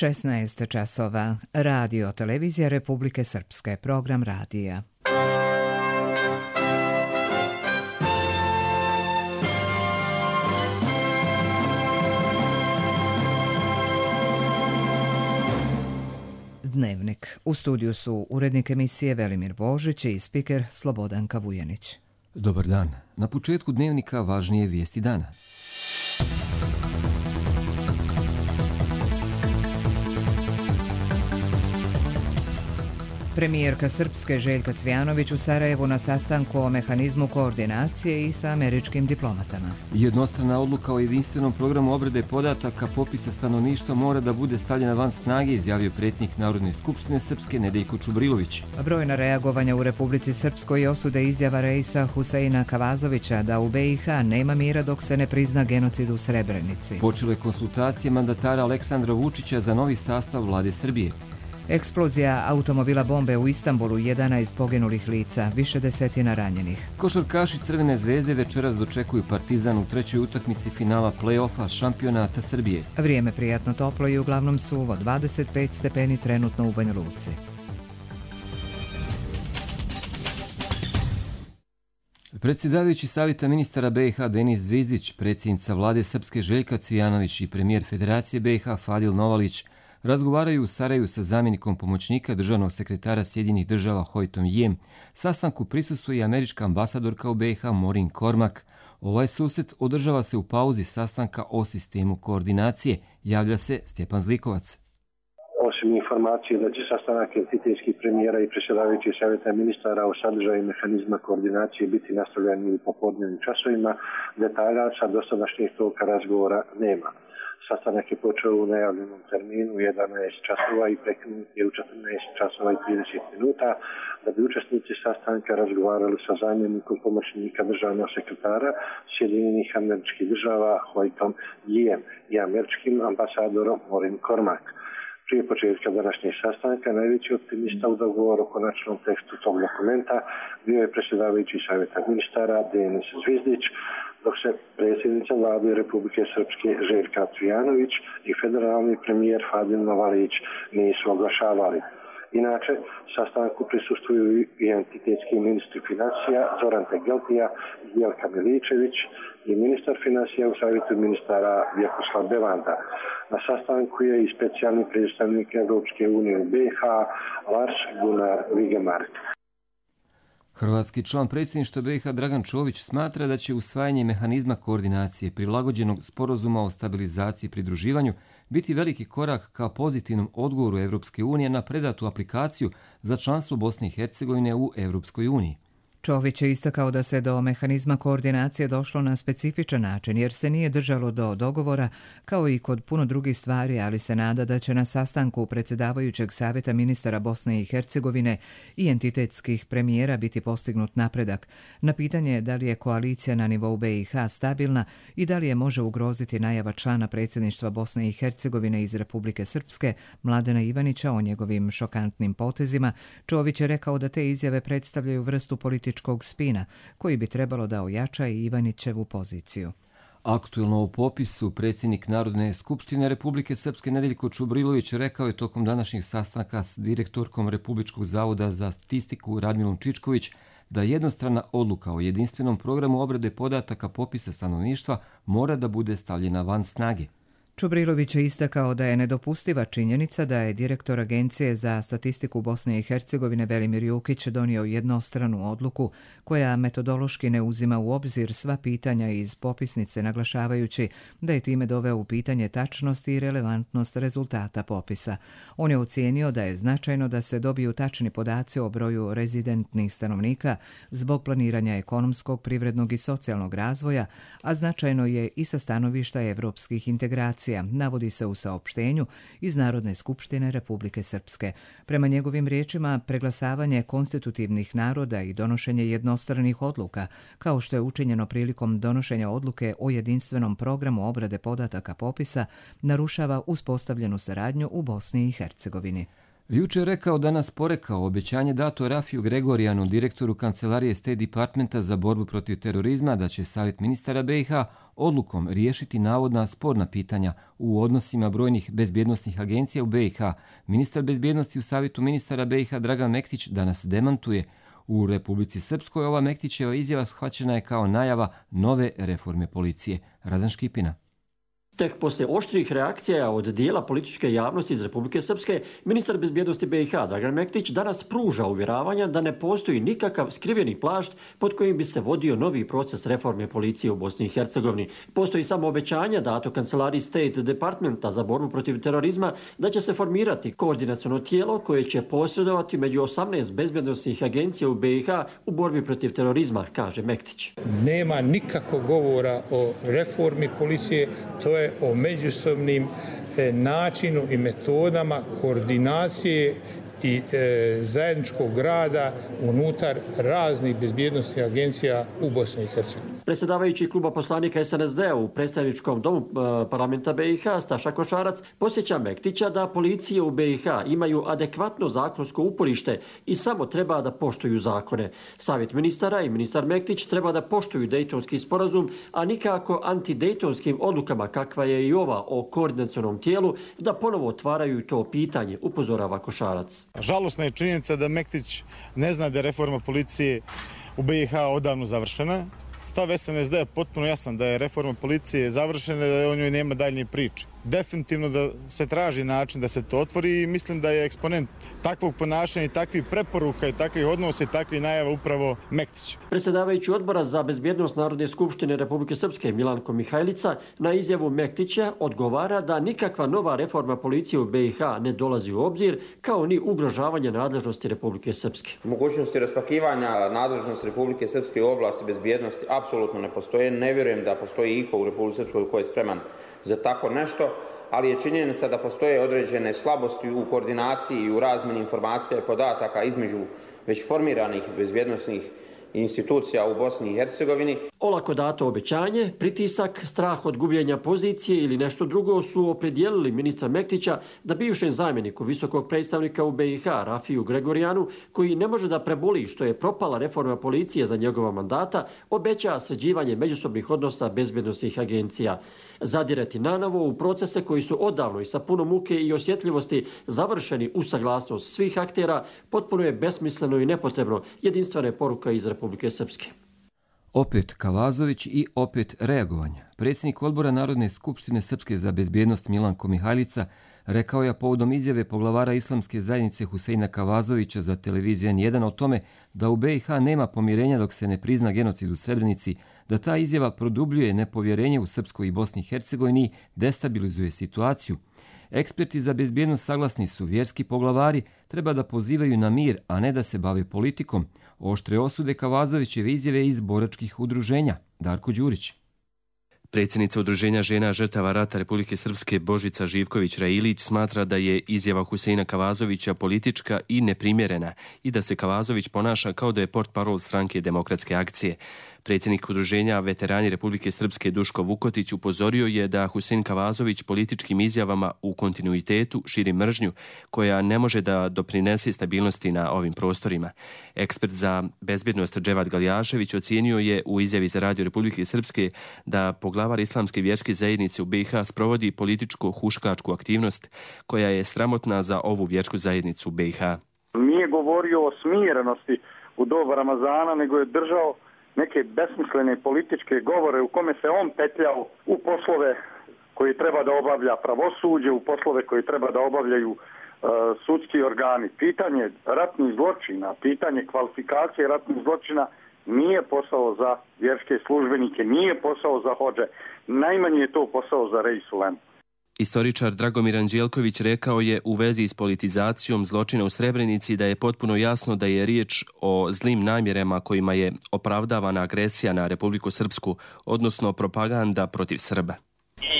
16 časova. Radio Televizija Republike Srpske. Program radija. Dnevnik. U studiju su urednik emisije Velimir Božić i spiker Slobodanka Vujanić. Dobar dan. Na početku dnevnika važnije vijesti dana. Premijerka Srpske Željka Cvijanović u Sarajevu na sastanku o mehanizmu koordinacije i sa američkim diplomatama. Jednostrana odluka o jedinstvenom programu obrade podataka popisa stanovništva mora da bude stavljena van snage, izjavio predsjednik Narodne skupštine Srpske Nedeljko Čubrilović. Brojna reagovanja u Republici Srpskoj osude izjava Reisa Huseina Kavazovića da u BiH nema mira dok se ne prizna genocid u Srebrenici. Počele konsultacije mandatara Aleksandra Vučića za novi sastav vlade Srbije. Eksplozija automobila bombe u Istanbulu, 11 poginulih lica, više desetina ranjenih. Košarkaši Crvene zvezde večeras dočekuju Partizan u trećoj utakmici finala play-offa šampionata Srbije. Vrijeme prijatno toplo i uglavnom suvo, 25 stepeni trenutno u Banja Luci. Predsjedavajući Savjeta ministara BiH Denis Zvizdić, predsjednica vlade Srpske Željka Cvijanović i premijer Federacije BiH Fadil Novalić razgovaraju u Sarajevu sa zamjenikom pomoćnika državnog sekretara Sjedinjenih država Hojtom Jem. Sastanku prisustvuje i američka ambasadorka u BiH Maureen Cormack. Ovaj susret održava se u pauzi sastanka o sistemu koordinacije, javlja se Stjepan Zlikovac. Osim informacije da će sastanak entitetskih premijera i predsjedavajućih savjeta ministara o sadržaju mehanizma koordinacije biti nastavljeni u popodnevnim časovima, detalja sa dosadašnjih toka razgovora nema. Sastanak je počeo u najavljenom terminu u 11 časova i prekinut je u 14 časova i 30 minuta, da bi učesnici sastanka razgovarali sa zamjenikom pomoćnika državnog sekretara Sjedinjenih američkih država Hojtom Jem i američkim ambasadorom Maureen Cormack. Prije početka današnjeg sastanka najveći optimista u dogovoru o konačnom tekstu tog dokumenta bio je predsjedavajući savjeta ministara Denis Zvizdić, dok se predsjednica vlade Republike Srpske Željka Cvijanović i federalni premijer Fadil Novalić nisu oglašavali. Inače, sastanku prisustvuju i entitetski ministri financija Zoran Tegeltija i Jelka Miličević i ministar financija u savjetu ministara Vjekoslav Belanda. Na sastanku je i specijalni predstavnik Europske unije u BiH Lars Gunnar Vigemark. Hrvatski član predsjedništva BiH Dragan Čović smatra da će usvajanje mehanizma koordinacije prilagođenog sporazuma o stabilizaciji i pridruživanju biti veliki korak ka pozitivnom odgovoru Europske unije na predatu aplikaciju za članstvo Bosne i Hercegovine u Europskoj uniji. Čović je istakao da se do mehanizma koordinacije došlo na specifičan način jer se nije držalo do dogovora kao i kod puno drugih stvari, ali se nada da će na sastanku predsjedavajućeg savjeta ministara Bosne i Hercegovine i entitetskih premijera biti postignut napredak. Na pitanje da li je koalicija na nivou BiH stabilna i da li je može ugroziti najava člana predsjedništva Bosne i Hercegovine iz Republike Srpske Mladena Ivanića o njegovim šokantnim potezima, Čović je rekao da te izjave predstavljaju vrstu političkog spina koji bi trebalo da ojača i Ivanićevu poziciju. Aktuelno u popisu predsjednik Narodne skupštine Republike Srpske Nedeljko Čubrilović rekao je tokom današnjeg sastanka s direktorkom Republičkog zavoda za statistiku Radmilom Čičković da jednostrana odluka o jedinstvenom programu obrade podataka popisa stanovništva mora da bude stavljena van snage. Čubrilović je istakao da je nedopustiva činjenica da je direktor Agencije za statistiku Bosne i Hercegovine Velimir Jukić donio jednostranu odluku koja metodološki ne uzima u obzir sva pitanja iz popisnice, naglašavajući da je time doveo u pitanje tačnost i relevantnost rezultata popisa. On je ocijenio da je značajno da se dobiju tačni podaci o broju rezidentnih stanovnika zbog planiranja ekonomskog, privrednog i socijalnog razvoja, a značajno je i sa stanovišta evropskih integracija, navodi se u saopštenju iz Narodne skupštine Republike Srpske. Prema njegovim riječima, preglasavanje konstitutivnih naroda i donošenje jednostranih odluka, kao što je učinjeno prilikom donošenja odluke o jedinstvenom programu obrade podataka popisa, narušava uspostavljenu saradnju u Bosni i Hercegovini. Juče je rekao da nas porekao obećanje dato Rafiju Gregorijanu, direktoru kancelarije State Departmenta za borbu protiv terorizma, da će Savjet ministara BiH odlukom riješiti navodna sporna pitanja u odnosima brojnih bezbjednosnih agencija u BiH. Ministar bezbjednosti u Savjetu ministara BiH Dragan Mektić danas demantuje. U Republici Srpskoj ova Mektićeva izjava shvaćena je kao najava nove reforme policije. Radan Škipina. Tek poslije oštrih reakcija od dijela političke javnosti iz Republike Srpske, ministar bezbjednosti BiH Dragan Mektić danas pruža uvjeravanja da ne postoji nikakav skriveni plašt pod kojim bi se vodio novi proces reforme policije u Bosni i Hercegovini. Postoji samo obećanje dato kancelariji State Departmenta za borbu protiv terorizma da će se formirati koordinaciono tijelo koje će posredovati među 18 bezbjednosnih agencija u BiH u borbi protiv terorizma, kaže Mektić. Nema nikakvog govora o reformi policije, to je o međusobnim načinu i metodama koordinacije i zajedničkog rada unutar raznih bezbjednosnih agencija u Bosni i Hercegovini. Predsjedavajući kluba poslanika SNSD-a u predstavničkom domu parlamenta BiH Staša Košarac posjeća Mektića da policije u BiH imaju adekvatno zakonsko uporište i samo treba da poštuju zakone. Savjet ministara i ministar Mektić treba da poštuju Dejtonski sporazum, a nikako antidejtonskim odlukama kakva je i ova o koordinacionom tijelu da ponovo otvaraju to pitanje, upozorava Košarac. Žalosna je činjenica da Mektić ne zna da je reforma policije u BiH odavno završena. Stav SNSD je potpuno jasan da je reforma policije završena i da o njoj nema daljnje priče. Definitivno da se traži način da se to otvori i mislim da je eksponent takvog ponašanja i takvih preporuka i takvih odnosa i takvih najava upravo Mektić. Predsjedavajući odbora za bezbjednost Narodne skupštine Republike Srpske Milanko Mihajlica na izjavu Mektića odgovara da nikakva nova reforma policije u BiH ne dolazi u obzir, kao ni ugrožavanje nadležnosti Republike Srpske. Mogućnosti raspakivanja nadležnosti Republike Srpske u oblasti bezbjednosti apsolutno ne postoje. Ne vjerujem da postoji iko u Republike Srpskoj koji je spreman za tako nešto, ali je činjenica da postoje određene slabosti u koordinaciji i u razmjeni informacija i podataka između već formiranih bezbjednosnih institucija u Bosni i Hercegovini. Olako dato obećanje, pritisak, strah od gubljenja pozicije ili nešto drugo su opredijelili ministra Mektića da bivšem zamjeniku visokog predstavnika u BiH Rafiju Gregorijanu, koji ne može da preboli što je propala reforma policije za njegova mandata, obeća sređivanje međusobnih odnosa bezbjednosnih agencija. Zadirati nanovo u procese koji su odavno i sa puno muke i osjetljivosti završeni u saglasnost svih aktera potpuno je besmisleno i nepotrebno, jedinstvena je poruka iz Republike Srpske. Opet Kavazović i opet reagovanja. Predsjednik odbora Narodne skupštine Srpske za bezbjednost Milanko Mihajlica rekao je povodom izjave poglavara islamske zajednice Huseina Kavazovića za televiziju N1 o tome da u BiH nema pomirenja dok se ne prizna genocid u Srebrenici, da ta izjava produbljuje nepovjerenje u Srpskoj i Bosni i Hercegovini i destabilizuje situaciju. Eksperti za bezbjednost saglasni su, vjerski poglavari treba da pozivaju na mir, a ne da se bave politikom. Oštre osude Kavazovićeve izjave iz boračkih udruženja. Darko Đurić. Predsjednica Udruženja žena žrtava rata Republike Srpske Božica Živković-Railić smatra da je izjava Huseina Kavazovića politička i neprimjerena i da se Kavazović ponaša kao da je portparol stranke Demokratske akcije. Predsjednik Udruženja veterani Republike Srpske Duško Vukotić upozorio je da Husein Kavazović političkim izjavama u kontinuitetu širi mržnju koja ne može da doprinese stabilnosti na ovim prostorima. Ekspert za bezbjednost Dževad Galjašević ocijenio je u izjavi za Radio Republike Srpske da poglavar islamske vjerske zajednice u BiH sprovodi političko-huškačku aktivnost koja je sramotna za ovu vjersku zajednicu u BiH. Nije govorio o smirenosti u doba Ramazana, nego je držao neke besmislene političke govore u kome se on petljao u poslove koji treba da obavlja pravosuđe, u poslove koji treba da obavljaju sudski organi. Pitanje ratnih zločina, pitanje kvalifikacije ratnih zločina nije posao za vjerske službenike, nije posao za hodže. Najmanje je to posao za Rej Sulem. Istoričar Dragomir Anđelković rekao je u vezi s politizacijom zločina u Srebrenici da je potpuno jasno da je riječ o zlim namjerama kojima je opravdavana agresija na Republiku Srpsku, odnosno propaganda protiv Srba.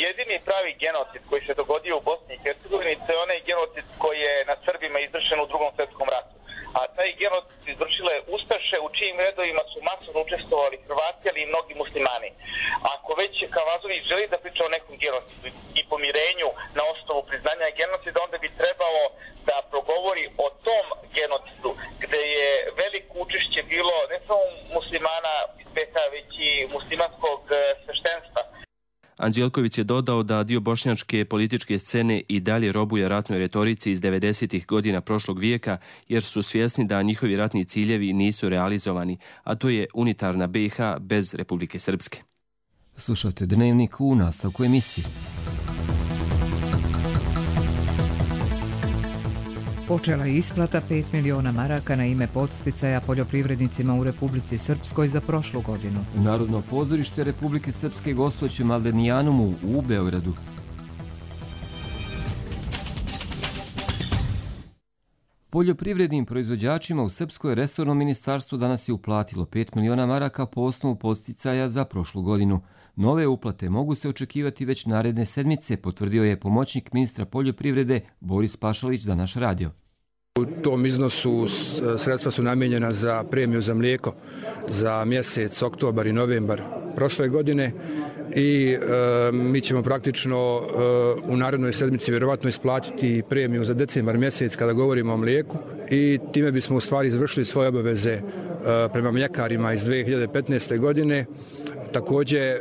Jedini pravi genocid koji se dogodio u Bosni i Hercegovini je onaj genocid koji je nad Srbima izvršen u Drugom svjetskom ratu. A taj genocid izvršile Ustaše u čijim redovima su masovno učestvovali Hrvati, ali i mnogi muslimani. Ako već Kavazović želi da priča o nekom genocidu i pomirenju na osnovu priznanja genocida, onda bi trebalo da progovori o tom genocidu gde je veliko učešće bilo ne samo muslimana iz BiH, već i muslimanskog sveštenstva. Anđelković je dodao da dio bošnjačke političke scene i dalje robuje ratnoj retorici iz 90. godina prošlog vijeka, jer su svjesni da njihovi ratni ciljevi nisu realizovani, a to je unitarna BiH bez Republike Srpske. Slušajte Dnevnik u nastavku emisije. Počela je isplata 5 miliona maraka na ime podsticaja poljoprivrednicima u Republici Srpskoj za prošlu godinu. U Narodno pozorište Republike Srpske gostujući Maldenijanumu u Beogradu. Poljoprivrednim proizvođačima u Srpskoj resorno ministarstvo danas je uplatilo 5 miliona maraka po osnovu podsticaja za prošlu godinu. Nove uplate mogu se očekivati već naredne sedmice, potvrdio je pomoćnik ministra poljoprivrede Boris Pašalić za naš radio. U tom iznosu sredstva su namijenjena za premiju za mlijeko za mjesec oktobar i novembar prošle godine i mi ćemo praktično u narednoj sedmici vjerovatno isplatiti premiju za decembar mjesec kada govorimo o mlijeku i time bismo u stvari izvršili svoje obaveze prema mljekarima iz 2015. godine. Također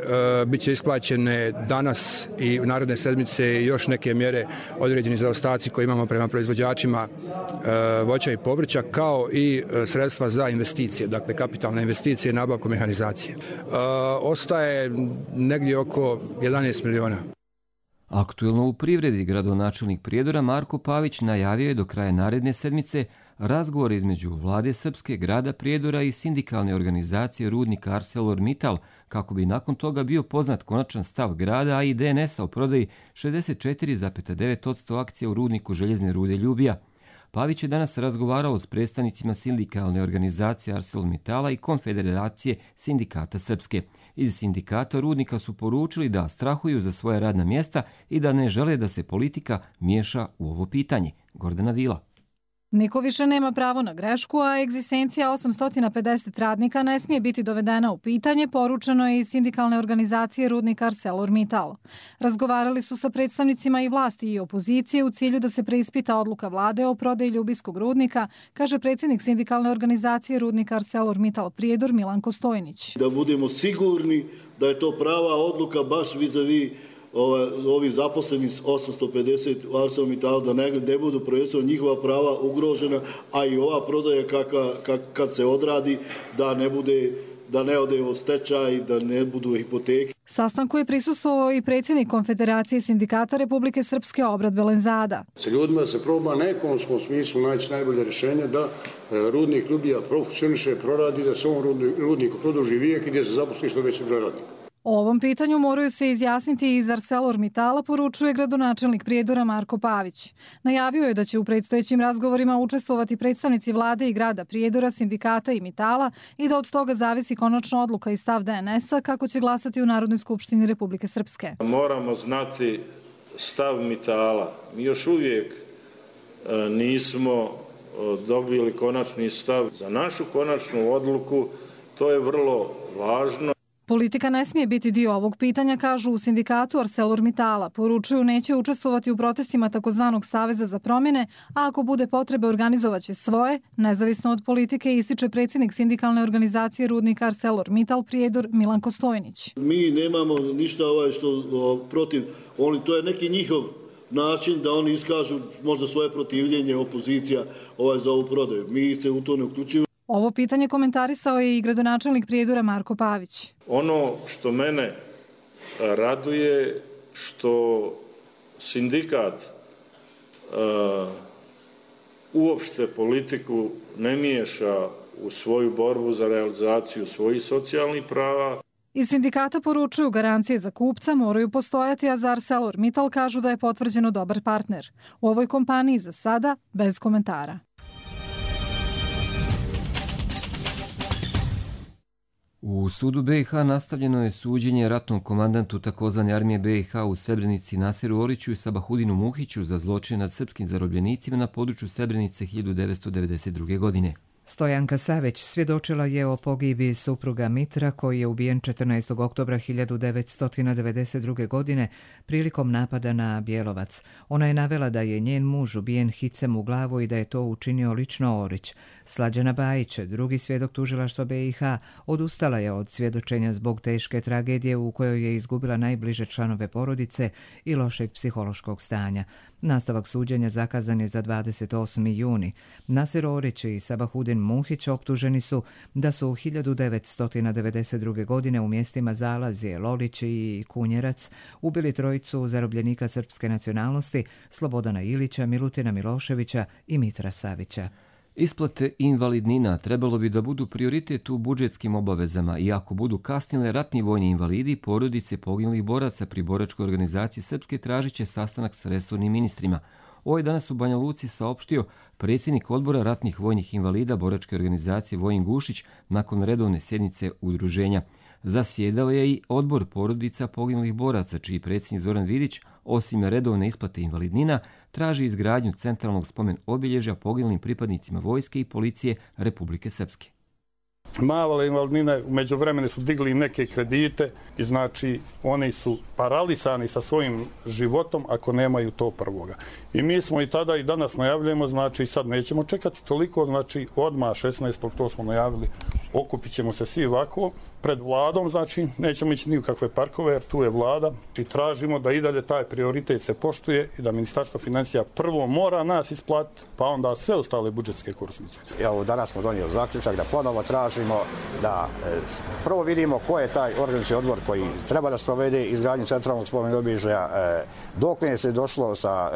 bit će isplaćene danas i u naredne sedmice još neke mjere određeni zaostaci koje imamo prema proizvođačima voća i povrća, kao i sredstva za investicije, dakle kapitalne investicije i nabavku mehanizacije. Ostaje negdje oko 11 miliona. Aktuelno u privredi gradonačelnik Prijedora Marko Pavić najavio je do kraja naredne sedmice razgovor između vlade Srpske, grada Prijedora i sindikalne organizacije rudnika ArcelorMittal, kako bi nakon toga bio poznat konačan stav grada, a i DNS-a o prodaji 64,9% akcija u rudniku željezne rude Ljubija. Pavić je danas razgovarao s predstavnicima sindikalne organizacije ArcelorMittala i Konfederacije sindikata Srpske. Iz sindikata rudnika su poručili da strahuju za svoja radna mjesta i da ne žele da se politika miješa u ovo pitanje. Gordana Vila. Niko više nema pravo na grešku, a egzistencija 850 radnika ne smije biti dovedena u pitanje, poručeno je iz sindikalne organizacije rudnika ArcelorMittal. Razgovarali su sa predstavnicima i vlasti i opozicije u cilju da se preispita odluka vlade o prodaji ljubijskog rudnika, kaže predsjednik sindikalne organizacije rudnika ArcelorMittal Prijedor Milanko Stojnić. Da budemo sigurni da je to prava odluka baš vis-a-vis ovi zaposleni 850 u ArcelorMittalu, da ne budu prvenstveno njihova prava ugrožena, a i ova prodaja kad se odradi da ne ode od stečaj, da ne budu hipoteke. Sastanku je prisustvovao i predsjednik Konfederacije sindikata Republike Srpske Obrad Belenzada. Sa ljudima se proba na ekonomskom smislu naći najbolje rješenje da rudnik Ljubija profunkcioniše, proradi, da se ovom rudniku produži vijek i da se zaposli što veći broj radnika. O ovom pitanju moraju se izjasniti iz ArcelorMittala, poručuje gradonačelnik Prijedora Marko Pavić. Najavio je da će u predstojećim razgovorima učestvovati predstavnici vlade i grada Prijedora, sindikata i Mittala i da od toga zavisi konačna odluka i stav DNS-a kako će glasati u Narodnoj skupštini Republike Srpske. Moramo znati stav Mittala. Mi još uvijek nismo dobili konačni stav. Za našu konačnu odluku to je vrlo važno. Politika ne smije biti dio ovog pitanja, kažu u sindikatu ArcelorMittala. Poručuju neće učestvovati u protestima takozvanog Saveza za promjene, a ako bude potrebe organizovaće svoje, nezavisno od politike, ističe predsjednik sindikalne organizacije rudnika ArcelorMittal Prijedor Milanko Stojnić. Mi nemamo ništa što protiv, to je neki njihov način da oni iskažu možda svoje protivljenje, opozicija za ovu prodaju. Mi se u to ne uključujemo. Ovo pitanje komentarisao je i gradonačelnik Prijedora Marko Pavić. Ono što mene raduje što sindikat uopšte politiku ne miješa u svoju borbu za realizaciju svojih socijalnih prava. Iz sindikata poručuju garancije za kupca moraju postojati, a za ArcelorMittal kažu da je potvrđeno dobar partner. U ovoj kompaniji za sada bez komentara. U sudu BiH nastavljeno je suđenje ratnom komandantu takozvane armije BiH u Srebrenici Nasiru Oriću i Sabahudinu Muhiću za zločine nad srpskim zarobljenicima na području Srebrenice 1992. godine. Stojanka Savić svjedočila je o pogibiji supruga Mitra koji je ubijen 14. oktobra 1992. godine prilikom napada na Bjelovac. Ona je navela da je njen muž ubijen hicem u glavu i da je to učinio lično Orić. Slađana Bajić, drugi svjedok tužilaštva BiH, odustala je od svjedočenja zbog teške tragedije u kojoj je izgubila najbliže članove porodice i lošeg psihološkog stanja. Nastavak suđenja zakazan je za 28. juni. Nasir Orić i Sabahudin Muhić optuženi su da su 1992. godine u mjestima Zalazije, Lolić i Kunjerac ubili trojicu zarobljenika srpske nacionalnosti Slobodana Ilića, Milutina Miloševića i Mitra Savića. Isplate invalidnina trebalo bi da budu prioritet u budžetskim obavezama i ako budu kasnile ratni vojni invalidi, porodice poginulih boraca pri boračkoj organizaciji Srpske tražit će sastanak s resornim ministrima. Ovo je danas u Banja Luci saopštio predsjednik odbora ratnih vojnih invalida boračke organizacije Vojin Gušić nakon redovne sjednice udruženja. Zasjedao je i odbor porodica poginulih boraca, čiji predsjednik Zoran Vidić, osim redovne isplate invalidnina, traži izgradnju centralnog spomen obilježja poginulim pripadnicima vojske i policije Republike Srpske. Male invalidnine u međuvremenu su digli neke kredite i znači oni su paralisani sa svojim životom ako nemaju to prvoga. I mi smo i tada i danas najavljujemo, znači sad nećemo čekati toliko, znači odmah 16. to smo najavili, okupit ćemo se svi ovako pred vladom, znači nećemo ići ni u kakve parkove jer tu je vlada i tražimo da i dalje taj prioritet se poštuje i da Ministarstvo financija prvo mora nas isplatiti, pa onda sve ostale budžetske korisnice. Evo, danas smo donijeli zaključak da ponovo tražimo da prvo vidimo ko je taj organizacijski odbor koji treba da sprovede izgradnju centralnog spomen obilježja, dok ne se došlo sa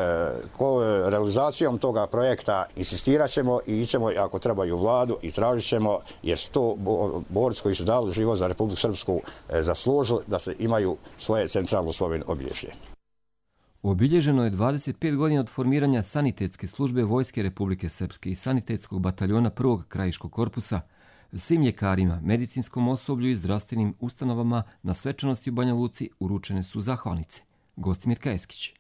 realizacijom toga projekta, insistirat ćemo i ićemo ako treba i u vladu i tražit ćemo jer su to borci koji su dali život za Republiku Srpsku zaslužili da se imaju svoje centralno spomen obilježje. Obilježeno je 25 godina od formiranja sanitetske službe Vojske Republike Srpske i sanitetskog bataljona 1. krajiškog korpusa. Svim ljekarima, medicinskom osoblju i zdravstvenim ustanovama na svečanosti u Banja Luci uručene su zahvalnice. Gostimir Kajeskić.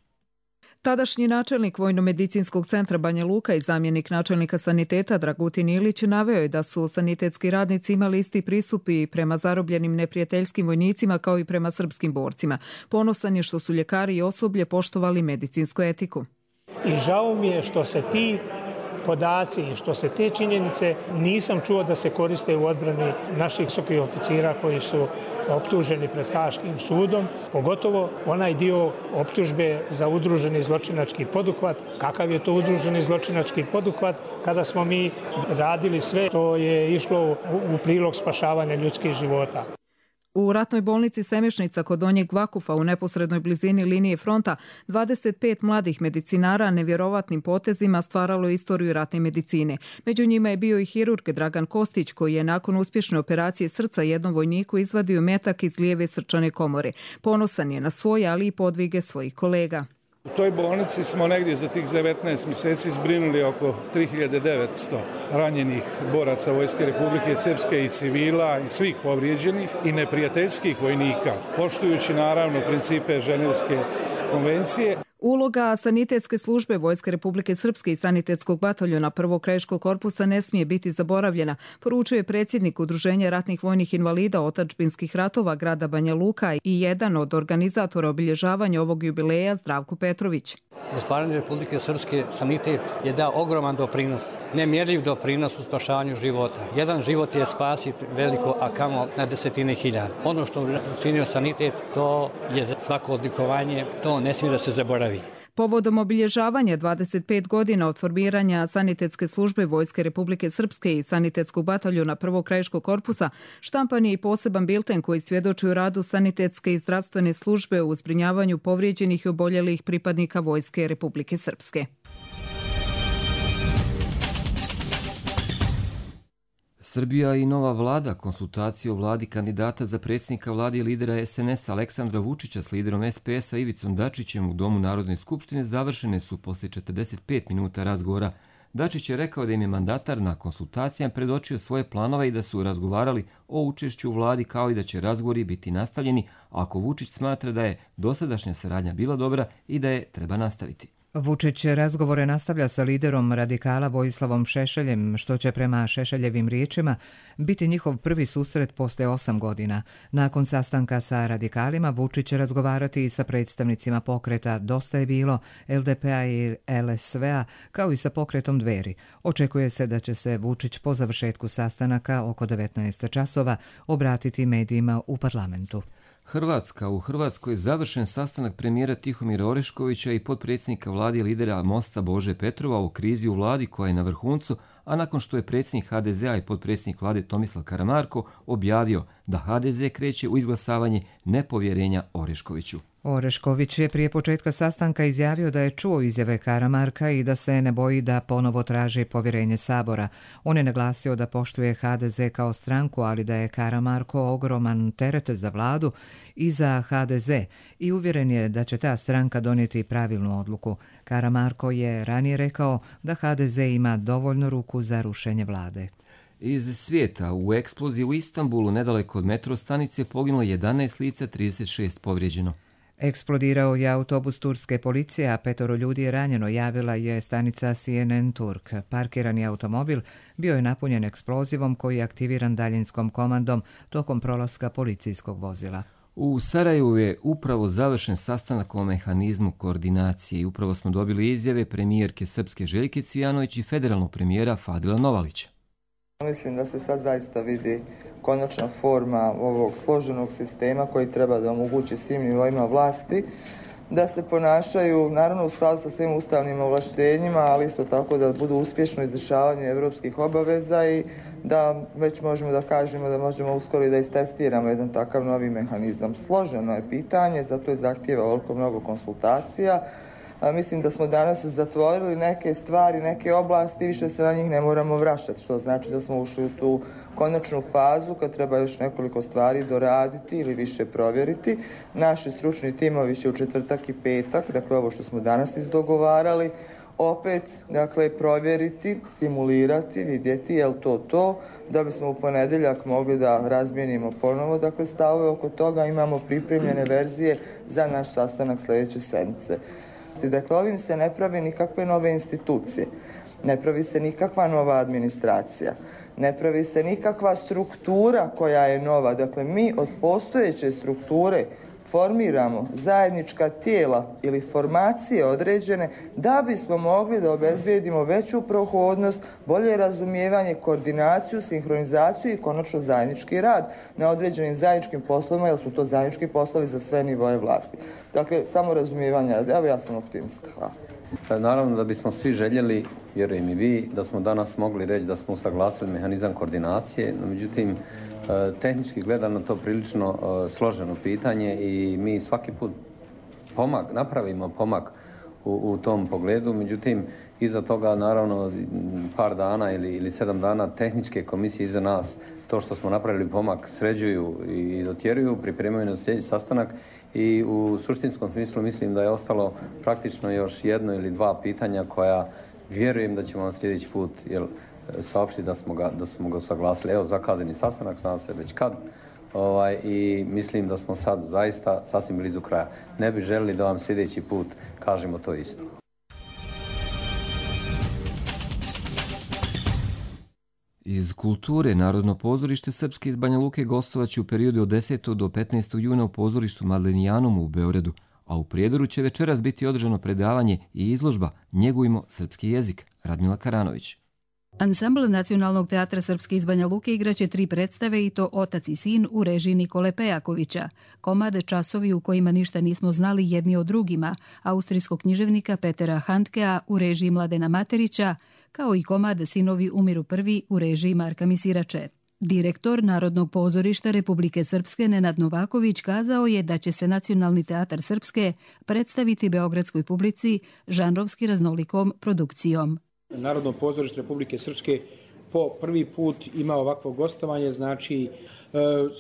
Tadašnji načelnik Vojno-medicinskog centra Banja Luka i zamjenik načelnika saniteta Dragutin Ilić naveo je da su sanitetski radnici imali isti pristup i prema zarobljenim neprijateljskim vojnicima kao i prema srpskim borcima. Ponosan je što su ljekari i osoblje poštovali medicinsku etiku. I žao mi je što se ti podaci i što se te činjenice nisam čuo da se koriste u odbrani naših visokih oficira koji su optuženi pred Haškim sudom, pogotovo onaj dio optužbe za udruženi zločinački poduhvat. Kakav je to udruženi zločinački poduhvat kada smo mi radili sve što je išlo u prilog spašavanja ljudskih života. U ratnoj bolnici Semešnica kod Donjeg Vakufa u neposrednoj blizini linije fronta 25 mladih medicinara nevjerovatnim potezima stvaralo istoriju ratne medicine. Među njima je bio i hirurg Dragan Kostić koji je nakon uspješne operacije srca jednom vojniku izvadio metak iz lijeve srčane komore. Ponosan je na svoje, ali i podvige svojih kolega. U toj bolnici smo negdje za tih 19 mjeseci zbrinuli oko 3900 ranjenih boraca Vojske Republike Srpske i civila i svih povrijeđenih i neprijateljskih vojnika, poštujući naravno principe Ženevske konvencije. Uloga sanitetske službe Vojske Republike Srpske i sanitetskog bataljona 1. krajiškog korpusa ne smije biti zaboravljena, poručuje predsjednik Udruženja ratnih vojnih invalida otadžbinskih ratova grada Banja Luka i jedan od organizatora obilježavanja ovog jubileja Zdravko Petrović. U stvaranju Republike Srpske sanitet je dao ogroman doprinos, nemjerljiv doprinos u spašavanju života. Jedan život je spasiti veliko, a kamo na desetine hiljada. Ono što učinio sanitet, to je svako odlikovanje, to ne smije da se zaboravi. Povodom obilježavanja 25 godina od formiranja sanitetske službe Vojske Republike Srpske i sanitetskog bataljona 1. krajiškog korpusa štampan je i poseban bilten koji svjedoči u radu sanitetske i zdravstvene službe u zbrinjavanju povrijeđenih i oboljelih pripadnika Vojske Republike Srpske. Srbija i nova vlada konsultacije o vladi kandidata za predsjednika vlade i lidera SNS Aleksandra Vučića s liderom SPS-a Ivicom Dačićem u Domu Narodne skupštine završene su poslije 45 minuta razgovora. Dačić je rekao da im je mandatar na konsultacijama predočio svoje planove i da su razgovarali o učešću u vladi kao i da će razgovori biti nastavljeni ako Vučić smatra da je dosadašnja saradnja bila dobra i da je treba nastaviti. Vučić razgovore nastavlja sa liderom radikala Vojislavom Šešeljem, što će prema Šešeljevim riječima biti njihov prvi susret posle 8 godina. Nakon sastanka sa radikalima, Vučić će razgovarati i sa predstavnicima pokreta Dosta je bilo, LDP-a i LSV-a, kao i sa pokretom Dveri. Očekuje se da će se Vučić po završetku sastanaka oko 19 časova obratiti medijima u parlamentu. U Hrvatskoj je završen sastanak premijera Tihomira Oreškovića i potpredsjednika vlade i lidera Mosta Bože Petrova o krizi u vladi koja je na vrhuncu, a nakon što je predsjednik HDZ-a i potpredsjednik vlade Tomislav Karamarko objavio da HDZ kreće u izglasavanje nepovjerenja Oreškoviću. Orešković je prije početka sastanka izjavio da je čuo izjave Karamarka i da se ne boji da ponovo traži povjerenje Sabora. On je naglasio da poštuje HDZ kao stranku, ali da je Karamarko ogroman teret za vladu i za HDZ i uvjeren je da će ta stranka donijeti pravilnu odluku. Karamarko je ranije rekao da HDZ ima dovoljno ruku za rušenje vlade. Iz svijeta, u eksploziji u Istanbulu nedaleko od metro stanice poginulo 11 lica, 36 povrijeđeno. Eksplodirao je autobus turske policije, a 5 ljudi je ranjeno, javila je stanica CNN Turk. Parkirani automobil bio je napunjen eksplozivom koji je aktiviran daljinskom komandom tokom prolaska policijskog vozila. U Sarajevu je upravo završen sastanak o mehanizmu koordinacije i upravo smo dobili izjave premijerke Srpske Željke Cvijanović i federalnog premijera Fadila Novalića. Mislim da se sad zaista vidi konačna forma ovog složenog sistema koji treba da omogući svim nivoima vlasti da se ponašaju naravno u skladu sa svim ustavnim ovlaštenjima, ali isto tako da budu uspješno u izvršavanju evropskih obaveza i da već možemo da kažemo da možemo uskoro i da istestiramo jedan takav novi mehanizam. Složeno je pitanje, zato je zahtijeva ovoliko mnogo konsultacija. Mislim da smo danas zatvorili neke stvari, neke oblasti, više se na njih ne moramo vraćati, što znači da smo ušli u tu konačnu fazu kad treba još nekoliko stvari doraditi ili više provjeriti. Naši stručni timovi će u četvrtak i petak, dakle ovo što smo danas izdogovarali, opet provjeriti, simulirati, vidjeti je li to, da bismo u ponedjeljak mogli da razmijenimo ponovo stavove oko toga, imamo pripremljene verzije za naš sastanak sljedeće sedmice. Dakle, ovim se ne pravi nikakve nove institucije, ne pravi se nikakva nova administracija, ne pravi se nikakva struktura koja je nova. Dakle, mi od postojeće strukture formiramo zajednička tijela ili formacije određene da bismo mogli da obezbijedimo veću prohodnost, bolje razumijevanje, koordinaciju, sinhronizaciju i konačno zajednički rad na određenim zajedničkim poslovima, jer su to zajednički poslovi za sve nivoje vlasti. Dakle, samo razumijevanje rada. Evo, ja sam optimista. Hvala. Naravno da bismo svi željeli, vjerujem i vi, da smo danas mogli reći da smo usaglasili mehanizam koordinacije, no međutim, tehnički gledano to prilično složeno pitanje i mi svaki put napravimo pomak u tom pogledu, međutim iza toga naravno par dana ili 7 dana tehničke komisije iza nas to što smo napravili pomak sređuju i dotjeruju, pripremaju na sljedeći sastanak i u suštinskom smislu mislim da je ostalo praktično još 1 ili 2 pitanja koja vjerujem da ćemo sljedeći put saopštiti da smo ga usaglasili. Evo, zakazani sastanak, znam se već kad, i mislim da smo sad zaista sasvim blizu kraja. Ne bi želili da vam sljedeći put kažemo to isto. Iz kulture, Narodno pozorište Srpske iz Banja Luke gostovaće u periodu od 10. do 15. juna u pozorištu Madlenijanom u Beogradu, a u Prijedoru će večeras biti održano predavanje i izložba Njegujmo srpski jezik. Radmila Karanović. Ansambl Nacionalnog teatra Srpske iz Banja Luke igraće 3 predstave i to Otac i sin u režiji Nikole Pejakovića, komad Časovi u kojima ništa nismo znali jedni o drugima, austrijskog književnika Petera Handkea u režiji Mladena Materića, kao i komad Sinovi umiru prvi u režiji Marka Misirače. Direktor Narodnog pozorišta Republike Srpske Nenad Novaković kazao je da će se Nacionalni teatar Srpske predstaviti beogradskoj publici žanrovski raznolikom produkcijom. Narodno pozorište Republike Srpske po prvi put ima ovakvo gostovanje, znači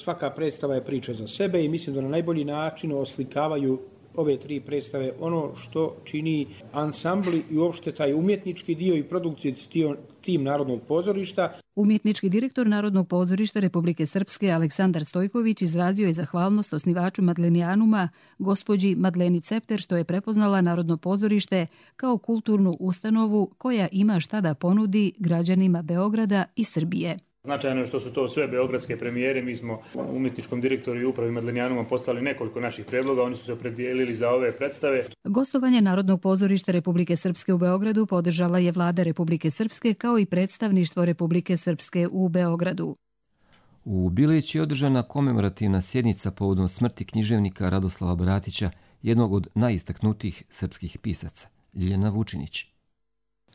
svaka predstava je priča za sebe i mislim da na najbolji način oslikavaju ove 3 predstave ono što čini ansambli i uopšte taj umjetnički dio i produkcijski tim Narodnog pozorišta. Umjetnički direktor Narodnog pozorišta Republike Srpske Aleksandar Stojković izrazio je zahvalnost osnivaču Madlenijanuma, gospođi Madleni Cepter, što je prepoznala Narodno pozorište kao kulturnu ustanovu koja ima šta da ponudi građanima Beograda i Srbije. Značajno je što su to sve beogradske premijere. Mi smo umjetničkom direktoru i upravi Madlenijanuma poslali nekoliko naših predloga. Oni su se opredijelili za ove predstave. Gostovanje Narodnog pozorišta Republike Srpske u Beogradu podržala je Vlada Republike Srpske kao i predstavništvo Republike Srpske u Beogradu. U Bileći je održana komemorativna sjednica povodom smrti književnika Radoslava Bratića, jednog od najistaknutijih srpskih pisaca. Ljiljana Vučinić.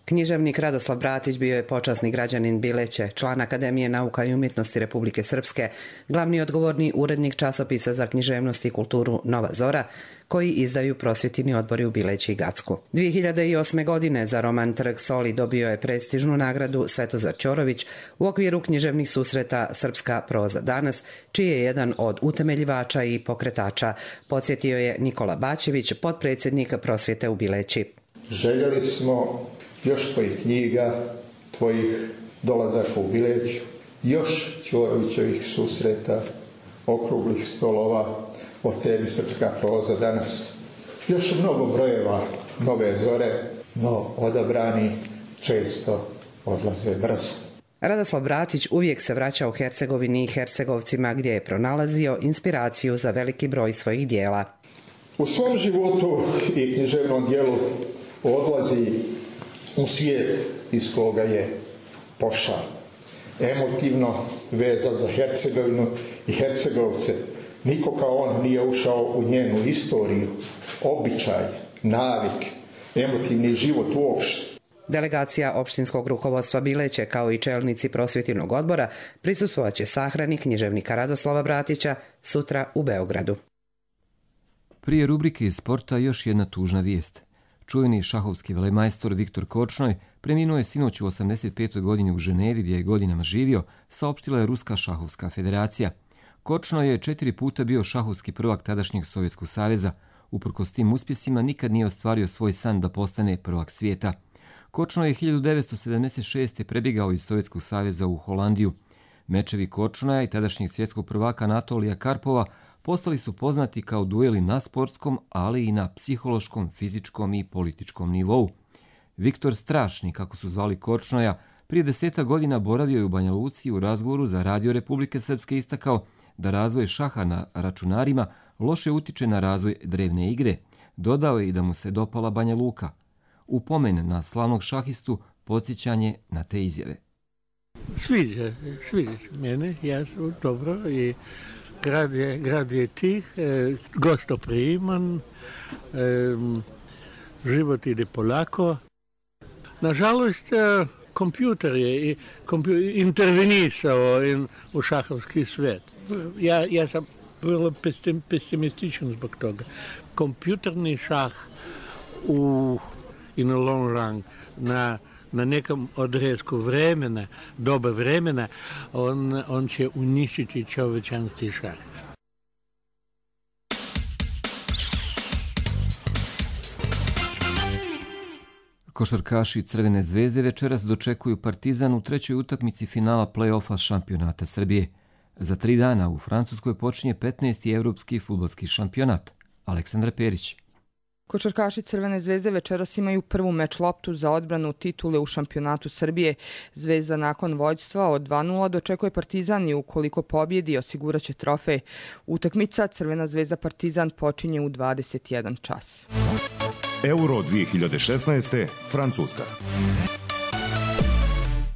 Književnik Radoslav Bratić bio je počasni građanin Bileće, član Akademije nauka i umjetnosti Republike Srpske, glavni odgovorni urednik časopisa za književnost i kulturu Nova Zora, koji izdaju prosvjetni odbori u Bileći i Gacku. 2008. godine za roman Trg Soli dobio je prestižnu nagradu Svetozar Ćorović u okviru književnih susreta Srpska proza danas, čiji je jedan od utemeljivača i pokretača, podsjetio je Nikola Bačević, potpredsjednik prosvjete u Bileći. Željeli smo još tvojih knjiga, tvojih dolazaka u Bileću, još Ćorovićevih susreta, okruglih stolova o tebi Srpska proza danas, još mnogo brojeva Nove Zore, no odabrani često odlaze brzo. Radoslav Bratić uvijek se vraća u Hercegovini i Hercegovcima, gdje je pronalazio inspiraciju za veliki broj svojih dijela. U svom životu i književnom dijelu odlazi u svijet iz koga je pošao. Emotivno vezan za Hercegovinu i Hercegovce. Niko kao on nije ušao u njenu istoriju, običaj, navik, emotivni život uopšte. Delegacija opštinskog rukovodstva Bileće kao i čelnici prosvjetnog odbora prisustvovat će sahrani književnika Radoslava Bratića sutra u Beogradu. Prije rubrike iz sporta još jedna tužna vijest. Čuveni šahovski velemajstor Viktor Korčnoj preminuo je sinoć u 85. godini u Ženevi, gdje je godinama živio, saopštila je Ruska šahovska federacija. Korčnoj je 4 puta bio šahovski prvak tadašnjeg Sovjetskog saveza. Uprkos tim uspjesima nikad nije ostvario svoj san da postane prvak svijeta. Korčnoj je 1976. prebjegao iz Sovjetskog saveza u Holandiju. Mečevi Korčnoja i tadašnjeg svjetskog prvaka Anatolija Karpova postali su poznati kao dueli na sportskom, ali i na psihološkom, fizičkom i političkom nivou. Viktor Strašni, kako su zvali Korčnoja, prije 10 godina boravio je u Banja Luci u razgovoru za Radio Republike Srpske istakao da razvoj šaha na računarima loše utiče na razvoj drevne igre. Dodao je i da mu se dopala Banja Luka. U pomen na slavnog šahistu podsjećanje na te izjave. Sviđa se mene, ja sam dobro i grad je tih, gostopriman, život ide polako. Nažalost, kompjuter je intervenisao u šahovski svijet. Ja sam vrlo pesimističan zbog toga. Kompjuterni šah in the long run na nekom odresku vremena, doba vremena, on će uništiti čovječanski šah. Košarkaši Crvene zvezde večeras dočekuju Partizan u trećoj utakmici finala play-offa šampionata Srbije. Za 3 dana u Francuskoj počinje 15. evropski fudbalski šampionat. Aleksandra Perić. Košarkaši Crvene zvezde večeras imaju prvu meč loptu za odbranu titule u šampionatu Srbije. Zvezda nakon vođstva od 2:0 dočekuje Partizan i ukoliko pobjedi osiguraće trofej. Utakmica Crvena zvezda Partizan počinje u 21 čas. Euro 2016. Francuska.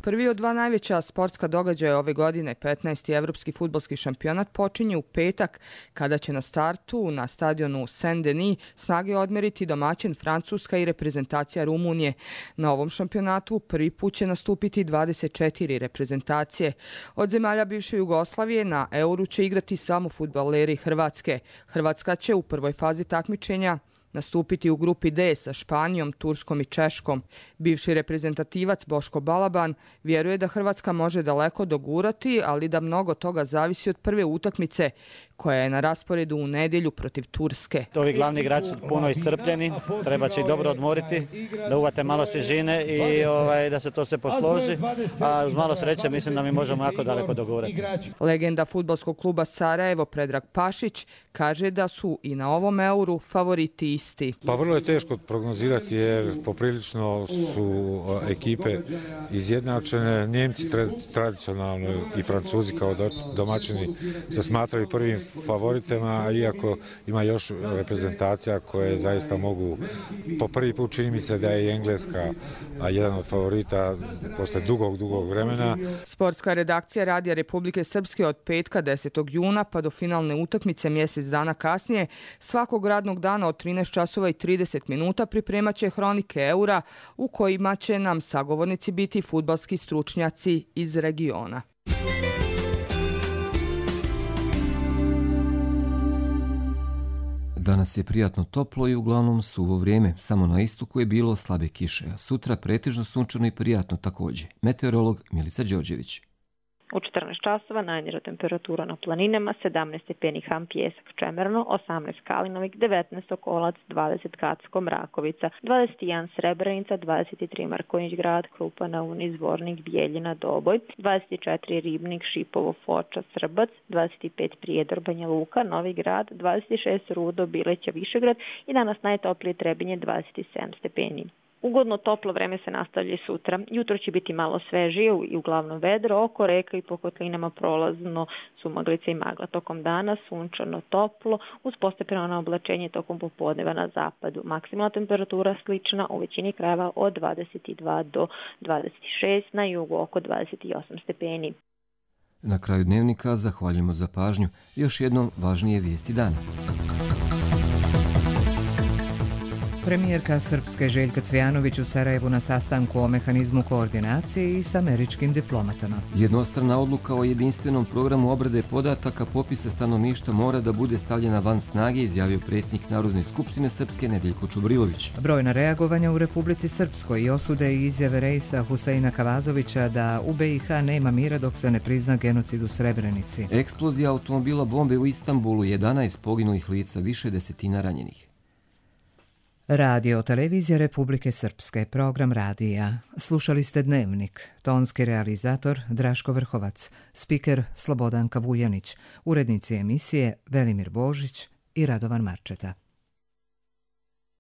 Prvi od 2 najveća sportska događaja ove godine, 15. evropski fudbalski šampionat, počinje u petak, kada će na startu na stadionu Saint-Denis snage odmeriti domaćin Francuska i reprezentacija Rumunije. Na ovom šampionatu prvi put će nastupiti 24 reprezentacije. Od zemalja bivše Jugoslavije na Euru će igrati samo fudbaleri Hrvatske. Hrvatska će u prvoj fazi takmičenja nastupiti u grupi D sa Španijom, Turskom i Češkom. Bivši reprezentativac Boško Balaban vjeruje da Hrvatska može daleko dogurati, ali da mnogo toga zavisi od prve utakmice koja je na rasporedu u nedjelju protiv Turske. Ovi glavni igrači su puno iscrpljeni, treba će ih dobro odmoriti, da uvate malo svježine i da se to sve posloži, a uz malo sreće mislim da mi možemo jako daleko dogurati. Legenda fudbalskog kluba Sarajevo Predrag Pašić kaže da su i na ovom euru favoriti isti. Pa vrlo je teško prognozirati jer poprilično su ekipe izjednačene. Njemci tradicionalno i Francuzi kao domaćini se smatraju prvim favoritima, iako ima još reprezentacija koje zaista mogu, po prvi put čini mi se da je i Engleska jedan od favorita posle dugog vremena. Sportska redakcija Radija Republike Srpske od petka 10. juna pa do finalne utakmice mjesec dana kasnije svakog radnog dana od 13 časova i 30 minuta pripremat će hronike eura u kojima će nam sagovornici biti fudbalski stručnjaci iz regiona. Danas je prijatno toplo i uglavnom suvo vrijeme. Samo na istoku je bilo slabe kiše, a sutra pretežno sunčano i prijatno također. Meteorolog Milica Đorđević. U 14 časova najniža temperatura na planinama, 17 stepeni Ham Pjesak Čemerno, 18 Kalinovik, 19 Okolac, 20 Kacko Mrakovica, 21 Srebrenica, 23 Markonjić Grad, Krupa na Uni, Zvornik, Bijeljina, Doboj, 24 Ribnik, Šipovo, Foča, Srbac, 25 Prijedor, Banja Luka, Novi Grad, 26 Rudo, Bileća, Višegrad i danas najtoplije Trebinje 27 stepeni. Ugodno toplo vreme se nastavlja sutra. Jutro će biti malo svežije i uglavnom vedro, oko reka i po kotlinama prolazno su maglice i magla. Tokom dana sunčano toplo, uz postepeno oblačenje tokom popodneva na zapadu. Maksimalna temperatura slična u većini krajeva od 22 do 26, na jugu oko 28 stepeni. Na kraju dnevnika zahvaljujemo za pažnju. Još jednom važnije vijesti dana. Premijerka Srpske Željka Cvijanović u Sarajevu na sastanku o mehanizmu koordinacije i s američkim diplomatama. Jednostrana odluka o jedinstvenom programu obrade podataka popisa stanovništva mora da bude stavljena van snage, izjavio predsjednik Narodne skupštine Srpske Nedeljko Čubrilović. Brojna reagovanja u Republici Srpskoj i osude i izjave Reisa Huseina Kavazovića da u BiH nema mira dok se ne prizna genocid u Srebrenici. Eksplozija automobila bombe u Istanbulu, 11 poginulih lica, više desetina ranjenih. Radio televizija Republike Srpske, program radija. Slušali ste Dnevnik, tonski realizator Draško Vrhovac, spiker Slobodanka Vujanić, urednici emisije Velimir Božić i Radovan Marčeta.